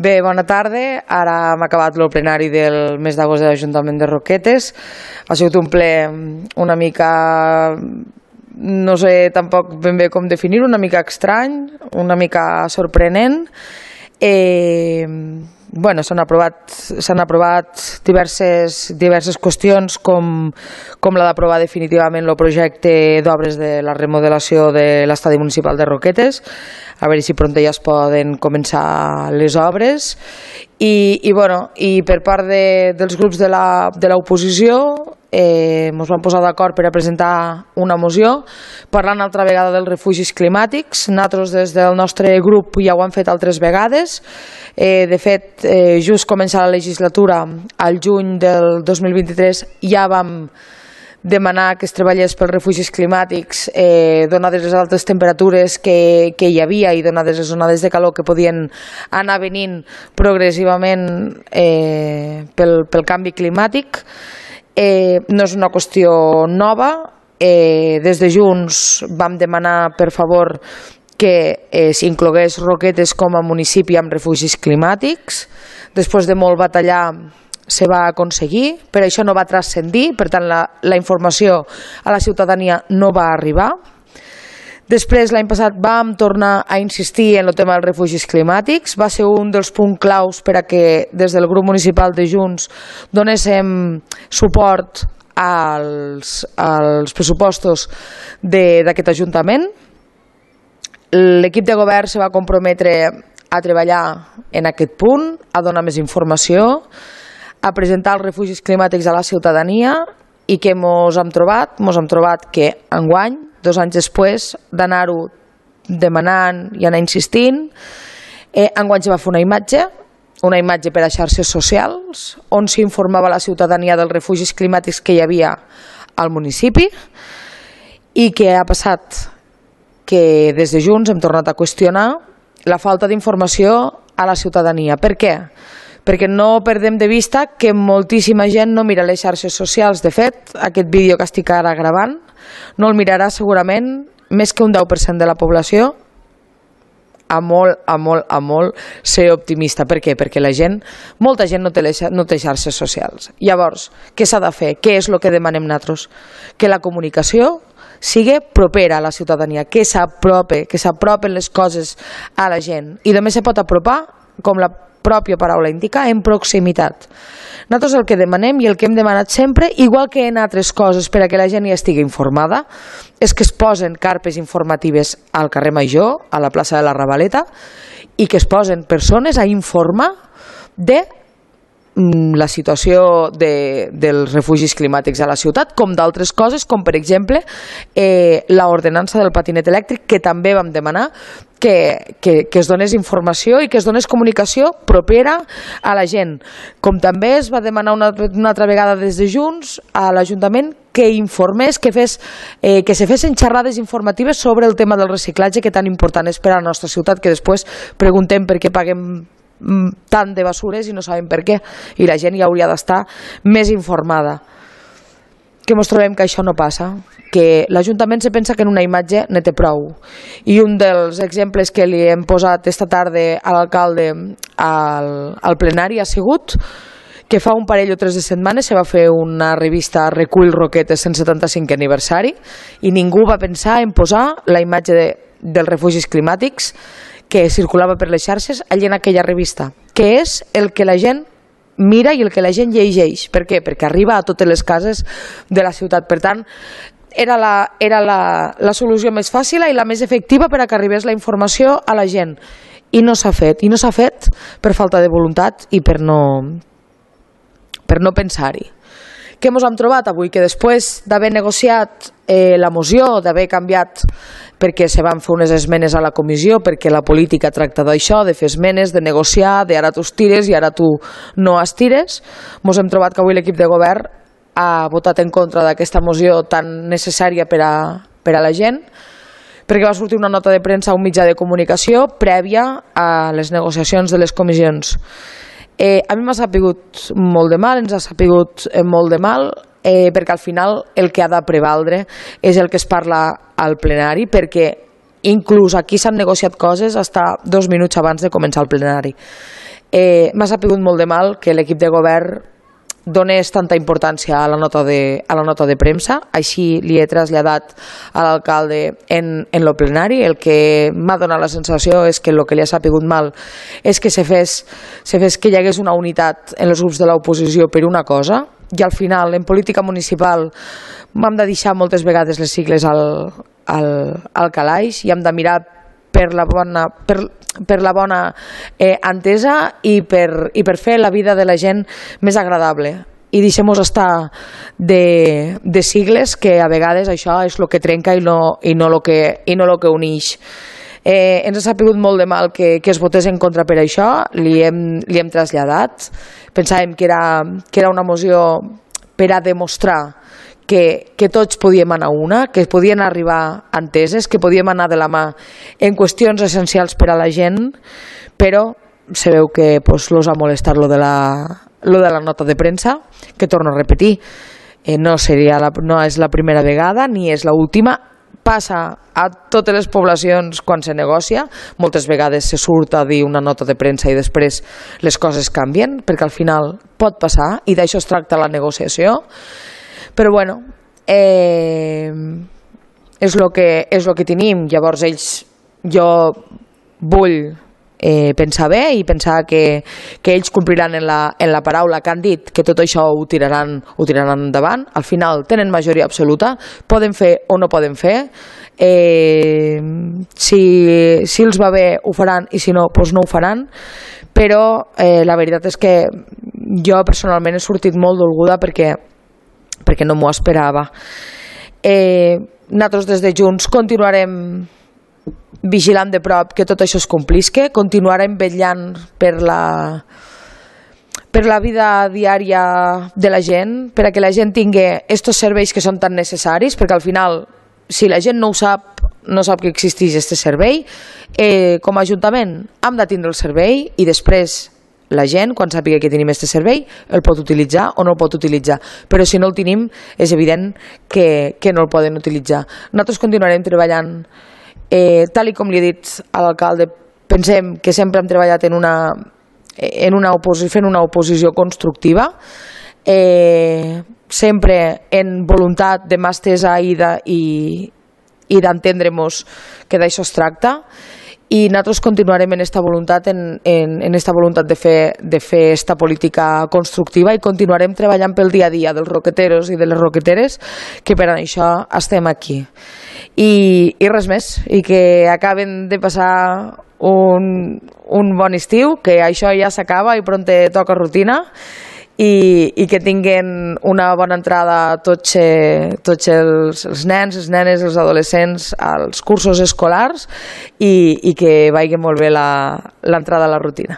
Bé, bona tarda. Ara hem acabat el plenari del mes d'agost de l'Ajuntament de Roquetes. Ha sigut un ple una mica, no sé tampoc ben bé com definir-ho, una mica estrany, una mica sorprenent. Bueno, s'han aprovat diverses qüestions com la d'aprovar definitivament el projecte d'obres de la remodelació de l'estadi municipal de Roquetes, a veure si pront ja es poden començar les obres. I per part dels grups de l'oposició ens vam posar d'acord per a presentar una moció parlant altra vegada dels refugis climàtics. Nosaltres des del nostre grup ja ho hem fet altres vegades. De fet, just començar la legislatura, al juny del 2023, ja vam demanar que es treballés pels refugis climàtics, donades les altes temperatures que hi havia i donades les onades de calor que podien anar venint progressivament pel canvi climàtic. No és una qüestió nova. Des de Junts vam demanar, per favor, que s'inclogués Roquetes com a municipi amb refugis climàtics. Després de molt batallar se va aconseguir, però això no va transcendir, per tant la informació a la ciutadania no va arribar. Després, l'any passat, vam tornar a insistir en el tema dels refugis climàtics. Va ser un dels punts claus per a que des del grup municipal de Junts donéssim suport als pressupostos d'aquest Ajuntament. L'equip de govern se va comprometre a treballar en aquest punt, a donar més informació, a presentar els refugis climàtics a la ciutadania. I què ens hem trobat? Ens hem trobat que enguany, 2 anys després d'anar-ho demanant i anar insistint, enguany se va fer una imatge per a xarxes socials on s'informava la ciutadania dels refugis climàtics que hi havia al municipi. I què ha passat? Que des de Junts hem tornat a qüestionar la falta d'informació a la ciutadania. Per què? Perquè no perdem de vista que moltíssima gent no mira les xarxes socials. De fet, aquest vídeo que estic ara gravant no el mirarà segurament més que un 10% de la població. A molt ser optimista. Per què? Perquè molta gent no té xarxes socials. Llavors, què s'ha de fer? Què és el que demanem nosaltres? Que la comunicació sigui propera a la ciutadania, que s'apropen les coses a la gent. I només se pot apropar, com la pròpia paraula indica, en proximitat. Nosaltres el que demanem i el que hem demanat sempre, igual que en altres coses per a que la gent hi estigui informada, és que es posen carpes informatives al carrer Major, a la plaça de la Ravaleta, i que es posen persones a informar de la situació dels refugis climàtics a la ciutat, com d'altres coses, com per exemple l'ordenança del patinet elèctric, que també vam demanar que es donés informació i que es donés comunicació propera a la gent. Com també es va demanar una altra vegada des de Junts a l'Ajuntament que informés, que se fessin xerrades informatives sobre el tema del reciclatge, que tan important és per a la nostra ciutat, que després preguntem per què paguem tant de basures i no sabem per què, i la gent ja hauria d'estar més informada. Que ens trobem que això no passa, que l'Ajuntament se pensa que en una imatge ne té prou. I un dels exemples que li hem posat esta tarda a l'alcalde al plenari ha sigut que fa un parell o 3 de setmanes se va fer una revista Recull Roquetes 175 aniversari i ningú va pensar en posar la imatge dels refugis climàtics que circulava per les xarxes allà en aquella revista, que és el que la gent mira i el que la gent llegeix. Per què? Perquè arriba a totes les cases de la ciutat. Per tant, era la solució més fàcil i la més efectiva per a que arribés la informació a la gent. I no s'ha fet. I no s'ha fet per falta de voluntat i per no pensar-hi. Què ens hem trobat avui? Que després d'haver negociat la moció, d'haver canviat perquè se van fer unes esmenes a la comissió, perquè la política tracta d'això, de fer esmenes, de negociar, de ara tu estires i ara tu no estires, ens hem trobat que avui l'equip de govern ha votat en contra d'aquesta moció tan necessària per a la gent, perquè va sortir una nota de premsa a un mitjà de comunicació prèvia a les negociacions de les comissions. A mi m'ha sapigut molt de mal, ens ha sapigut molt de mal, perquè al final el que ha de prevaldre és el que es parla al plenari, perquè inclús aquí s'han negociat coses fins 2 minuts abans de començar el plenari. M'ha sapigut molt de mal que l'equip de govern donés tanta importància a la nota de premsa. Així li he traslladat a l'alcalde en el plenari. El que m'ha donat la sensació és que el que li ha sapigut mal és que se fes que hi hagués una unitat en els grups de l'oposició per una cosa, i al final en política municipal hem de deixar moltes vegades les sigles al calaix i hem de mirar per la bona entesa i per fer la vida de la gent més agradable, i deixem-nos estar de sigles, que a vegades això és el que trenca i no el que uneix. Ens ha sapigut molt de mal que es votés en contra per això. Li hem traslladat. Pensàvem que era una moció per a demostrar que tots podíem anar una, que podien arribar enteses, que podíem anar de la mà en qüestions essencials per a la gent, però se veu que els ha molestat lo de la nota de premsa, que torno a repetir, no és la primera vegada ni és l'última. Passa a totes les poblacions quan se negocia. Moltes vegades se surt a dir una nota de premsa i després les coses canvien, perquè al final pot passar, i d'això es tracta la negociació. Però bueno, és el que tenim. Llavors jo vull pensar bé i pensar que ells compliran en la paraula que han dit, que tot això ho tiraran endavant. Al final tenen majoria absoluta, poden fer o no poden fer. Si els va bé ho faran, i si no, doncs no ho faran. Però la veritat és que jo personalment he sortit molt dolguda perquè no m'ho esperava. Nosaltres des de Junts continuarem vigilant de prop que tot això es complisca, continuarem vetllant per la vida diària de la gent, per a que la gent tingui aquests serveis que són tan necessaris, perquè al final, si la gent no ho sap, no sap que existeix aquest servei, com a Ajuntament hem de tindre el servei, i després la gent, quan sàpiga que tenim aquest servei, el pot utilitzar o no el pot utilitzar. Però si no el tenim, és evident que no el poden utilitzar. Nosaltres continuarem treballant, tal com li he dit a l'alcalde. Pensem que sempre hem treballat fent una oposició constructiva, sempre en voluntat de mà estesa i d'entendre-nos que d'això es tracta. I nosaltres continuarem en esta voluntat de fer esta política constructiva, i continuarem treballant pel dia a dia dels roqueteros i de les roqueteres, que per això estem aquí. I res més, i que acaben de passar un bon estiu, que això ja s'acaba i prompte toca rutina, i que tinguin una bona entrada tots els nens, les nenes, els adolescents als cursos escolars, i que vagi molt bé l'entrada a la rutina.